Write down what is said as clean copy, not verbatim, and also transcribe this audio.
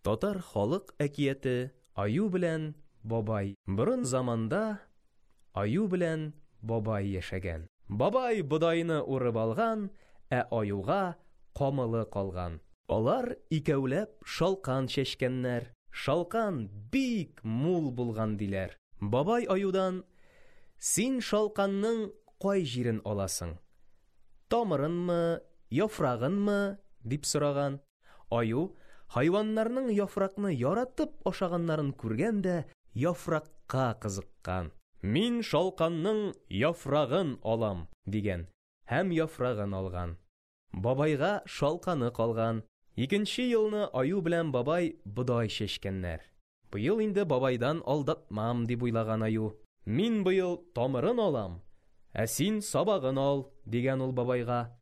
Татар халык әкияте Аю белән бабай. Борын заманда Аю белән бабай яшәгән. Бабай бодайны урып алган, ә аюга камылы калган. Алар икәүләп шалкан чәчкәннәр. Шалкан бик мул булган, диләр. Бабай аюдан: "Син шалканның кай җирен аласың? Тамырынмы, яфрагынмы?" – дип сораган. Аю хайваннарның яфракны яратып ашаганнарын күргән дә яфракка кызыккан. "Мин шалканның яфрагын алам", дигән һәм яфрагын алган. Бабайга шалканы калган. Икенче елны аю белән бабай бодай чәчкәннәр. Быел инде бабайдан алдатмам, дип уйлаган аю. Мин быел тамырын алам, ә син сабагын ал, дигән ул бабайга.